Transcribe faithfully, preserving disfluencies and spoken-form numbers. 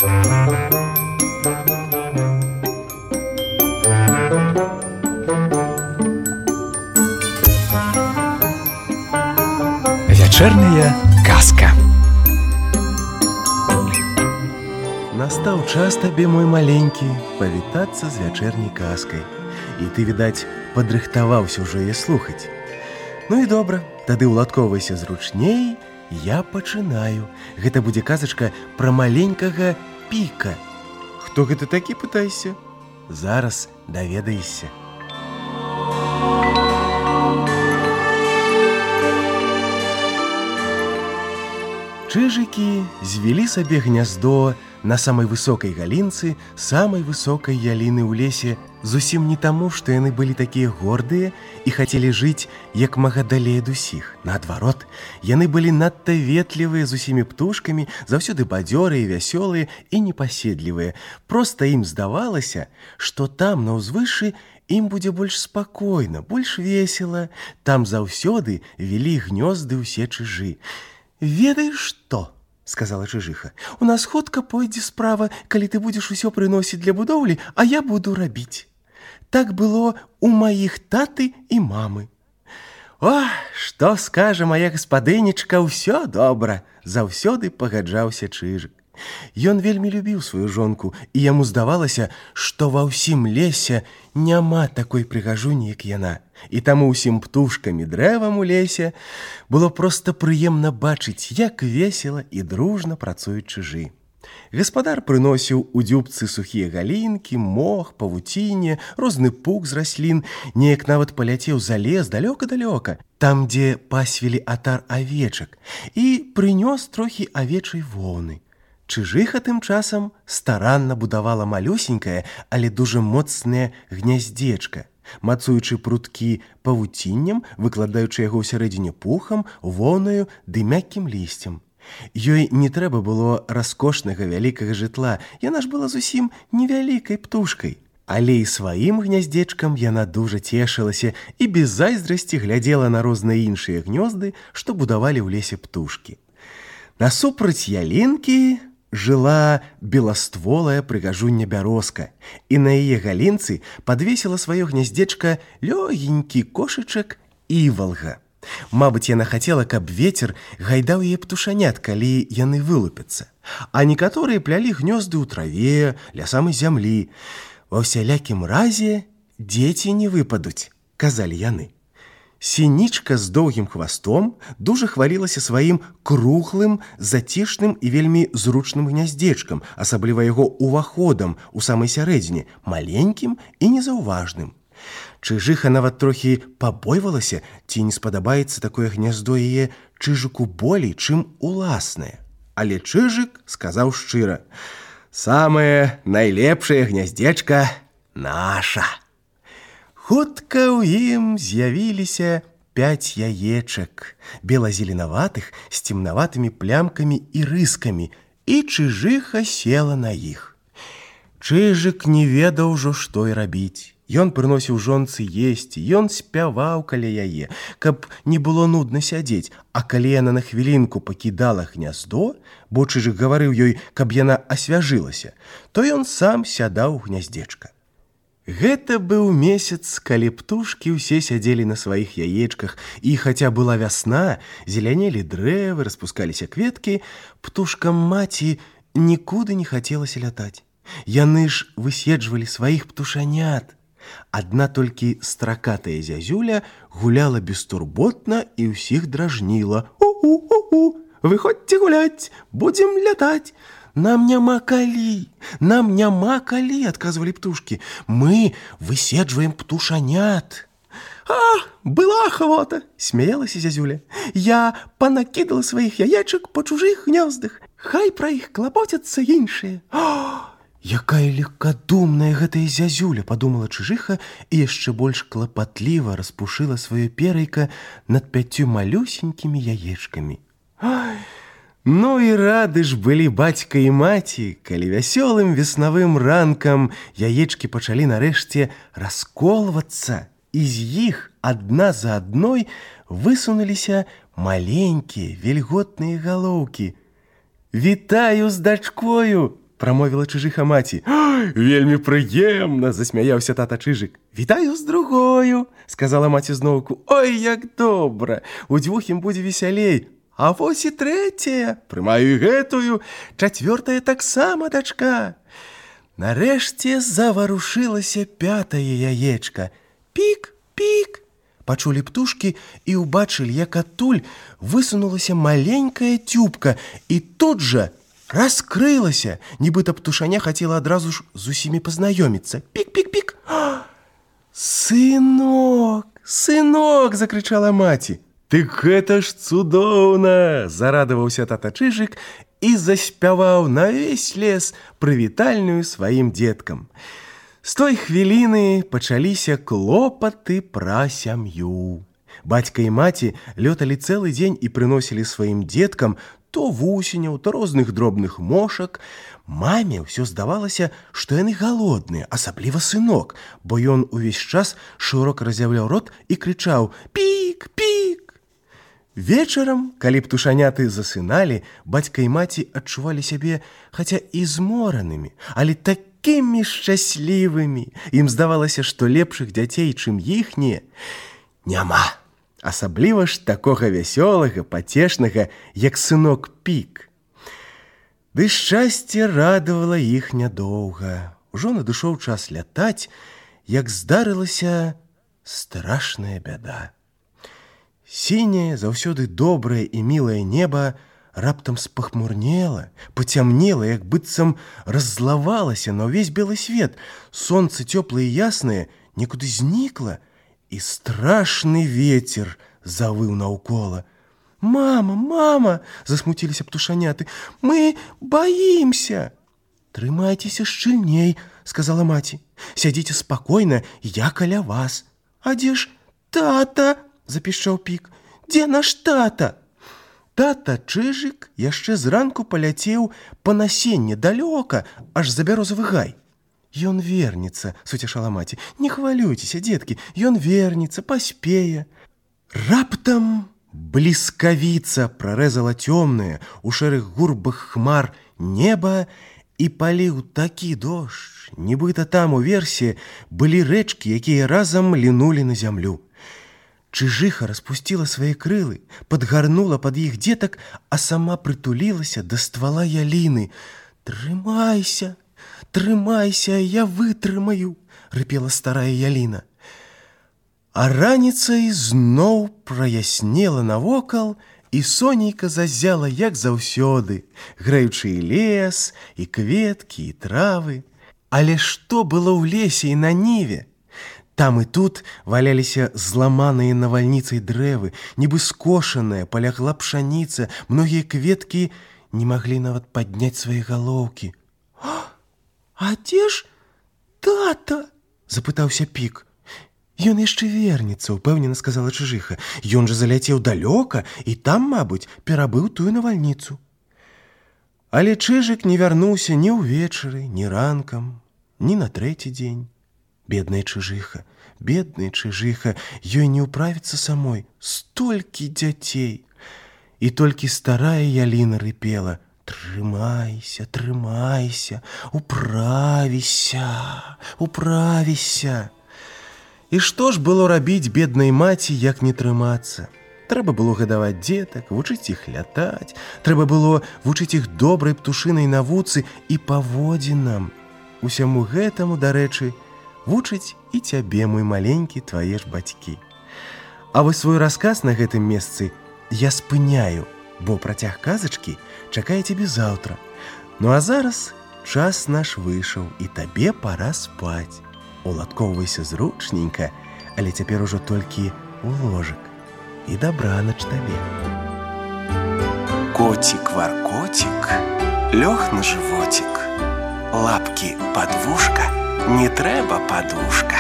Вячэрняя казка. Настаў час табе, мой маленькі, павітацца з вячэрняй казкай. І ты, відаць, падрыхтаваўся ўжо яе слухаць. Ну і добра, тады ўладкоўвайся зручней, я пачынаю. Гэта будзе казачка пра маленькага Піка. Хто гэта такі, пытайся? Зараз даведаешся. Чыжыкі звялі сабе гняздо на самай высокай галінцы, самай высокай яліны ў лесе, зусім не таму, што яны былі такія гордыя і хацелі жыць як мага далей ад усіх. Наадварот, яны былі надта ветлівыя з усімі птушкамі, заўсёды бадзёрыя, вясёлыя і непаседлівыя. Проста ім здавалася, што там, на ўзвышшы, ім будзе больш спакойна, больш весела. Там заўсёды вялі гнёзды ўсе чыжы. «Ведаеш што?» – сказала чыжыха. «У нас хутка пойдзе справа, калі ты будзеш усё прыносіць для будоўлі, а я буду рабіць. Так было у маіх таты і мамы». «О, што скажа моя гаспадынечка, ўсё добра!» – заўсёды пагаджаўся чыжык. Ён вельмі любіў сваю жонку, і яму здавалася, што ва ўсім лесе няма такой прыгажуні, як яна. І таму ўсім птушкам і дрэвам у лесе было проста прыемна бачыць, як весела і дружна працуюць чыжы. Гаспадар прыносіў у дзюбцы сухія галінкі, мох, павуцінне, розны пук з раслін, неяк нават паляцеў за лес далёка-далёка, там, дзе пасвілі атар авечак, і прынёс трохі авечай воўны. Чыжыха тым часам старанна будавала малюсенькае, але дужа моцнае гняздзечка, мацуючы пруткі павуціннем, выкладаючы яго ўсярэдзіне пухам, воўнаю ды мяккім лісцем. Ёй не трэба было раскошнага вялікага жытла, яна ж была зусім невялікай птушкай. Але і сваім гняздзечкам яна дужа цешылася і без зайздрасці глядзела на розныя іншыя гнёзды, што будавалі ў лесе птушкі. Насупраць ялінкі жыла беластволая прыгажуння бярозка, і на яе галінцы падвесіла сваё гняздзечка лёгенькі кошачак івалга. Мабыць, яна хацела, каб вецер гайдаў яе птушанят, калі яны вылупяцца. А некаторыя плялі гнёзды ў траве, ля самай зямлі. Ва ўсялякім разе дзеці не выпадуць, казалі яны. Сінічка з доўгім хвастом дужа хвалілася сваім круглым, зацішным і вельмі зручным гняздзечкам, асабліва яго ўваходам у самай сярэдзіне, маленькім і незаўважным. Чыжыха нават трохі пабойвалася, ці не спадабаецца такое гняздо яе чыжыку болей, чым уласнае. Але чыжык сказаў шчыра: «Самае найлепшае гняздзечка наша». Хутка ў ім з'явіліся пяць яечак, бела-зеленаватых, з цемнаватымі плямкамі і рыскамі, і чыжыха села на іх. Чыжык не ведаў ужо, што і рабіць. Ён прыносіў жонцы есці, ён спяваў каля яе, каб не было нудна сядзець, а калі яна на хвілінку пакідала гняздо, бо чыжык гаварыў ёй, каб яна асвяжылася, то ён сам сядаў у гняздзечка. Гэта быў месяц, калі птушкі ўсе сядзелі на сваіх яечках, і хаця была вясна, зелянелі дрэвы, распускаліся кветкі, птушкам маці нікуды не хацелася лятаць. Яны ж выседжвалі сваіх птушанят. Адна толькі стракатая зязюля гуляла бестурботна і ўсіх дражніла. «У-у-у-у! Выходзьце гуляць, будзем лятаць!» «Нам няма калі, нам няма калі», – адказвалі птушкі. «Мы выседжваем птушанят». «А, была ахвота», – смяялася зязюля. «Я панакідала сваіх яечак па чужых гнёздах. Хай пра іх клапоцяцца іншыя». «О, якая легкадумная гэтая зязюля», – падумала чыжыха і яшчэ больш клапатліва распушыла сваё перайка над пяццю малюсенькімі яечкамі. «Ай, ну і рады ж былі бацька і маці, калі вясёлым веснавым ранкам яечкі пачалі нарэшце расколвацца, і з іх адна за адной высунуліся маленькія вільготныя галоўкі. «Вітаю з дачкою!» – прамовіла чыжыха маці. Вельмі прыемна, засмяяўся тата Чыжык. Вітаю з другою, сказала маці зноўку. Ой, як добра, удвух ім будзе весялей. А вось і трэцяя, прымаю і гэтую, чацвёртая таксама дачка. Нарэшце заварушылася пятае яечка. Пік, пік. Пачулі птушкі і ўбачылі, як адтуль высунулася маленькая цюбка і тут жа раскрылася, нібыта птушаня хацела адразу ж з усімі пазнаёміцца. Пік-пік-пік. Сынок, сынок, закрычала маці. Дык гэта ж цудоўна, зарадаваўся тата Чыжык і заспяваў на ўвесь лес прывітальную сваім дзеткам. З той хвіліны пачаліся клопаты пра сям'ю. Бацька і маці лёталі цэлы дзень і прыносілі сваім дзеткам то вусеняў, то розных дробных мошак. Маме ўсё здавалася, што яны галодныя, асабліва сынок, бо ён увесь час шырока разяўляў рот і крычаў: «Пік, пік!» Вечарам, калі птушаняты засыналі, бацька і маці адчувалі сябе, хаця і зморанымі, але так такімі шчаслівымі. Ім здавалася, што лепшых дзяцей, чым іхнія, няма. Асабліва ж такога вясёлага, пацешнага, як сынок Пік. Ды шчасце радавала іх нядоўга. Ужо надышоў час лятаць, як здарылася страшная бяда. Сіняе, заўсёды добрае і мілае неба раптам спахмурнела, пацямнела, як быццам раззлавалася на ўвесь белы свет. Сонца цёплае і яснае некуды знікла, і страшны вецер завыў наўкола. «Мама, мама!» – засмуціліся птушаняты. «Мы баімся!» «Трымайцеся шчыльней!» – сказала маці. «Сядзіце спакойна, я каля вас!» «А дзе ж тата?» – запішчаў Пік. «Дзе наш тата?» Тата Чыжык яшчэ зранку паляцеў па насенне далёка, аж за бярозавы гай. «Ён вернецца», – суцешала маці. «Не хвалюйцеся, дзеткі, ён вернецца, паспее». Раптам бліскавіца прарэзала цёмнае у шэрых гурбах хмар неба і паліў такі дождж, нібыта там уверсе былі рэчкі, якія разам лінулі на зямлю. Чыжыха распусціла свае крылы, падгарнула пад іх дзетак, а сама прытулілася да ствала яліны. «Трымайся, трымайся, я вытрымаю!» – рыпела старая яліна. А раніцай зноў праяснела навокал, і сонейка зазяла, як заўсёды, грэючы і лес, і кветкі, і травы. Але што было ў лесе і на ніве? Там і тут валяліся зламаныя навальніцай дрэвы, нібы скошаная, палягла пшаніца, многія кветкі не маглі нават падняць свае галоўкі. «А дзе ж тата?» – запытаўся Пік. «Ён яшчэ вернецца», – упэўнена сказала Чыжыха. «Ён жа заляцеў далёка і там, мабыць, перабыў тую навальніцу». Але Чыжык не вярнуўся ні ўвечары, ні ранкам, ні на трэці дзень. Бедная Чыжыха, бедная Чыжыха, ёй не ўправіцца самой, столькі дзяцей. І толькі старая яліна рыпела: «Трымайся, трымайся, управіся, управіся». І што ж было рабіць беднай маці, як не трымацца? Трэба было гадаваць дзетак, вучыць іх лятаць, трэба было вучыць іх добрай птушынай навуцы і паводзінам. Усяму гэтаму, дарэчы, вучыць і цябе, мой маленькі, твае ж бацькі. А вось свой расказ на гэтым месцы я спыняю, бо працяг казачкі чакае цябе заўтра. Ну а зараз час наш выйшаў, і табе пара спаць. Уладкоўвайся зручненька, але цяпер ужо толькі ў ложак. І дабранач табе. Коцік-варкоцік лёг на жывоцік. Лапкі пад вушка, не трэба падушка.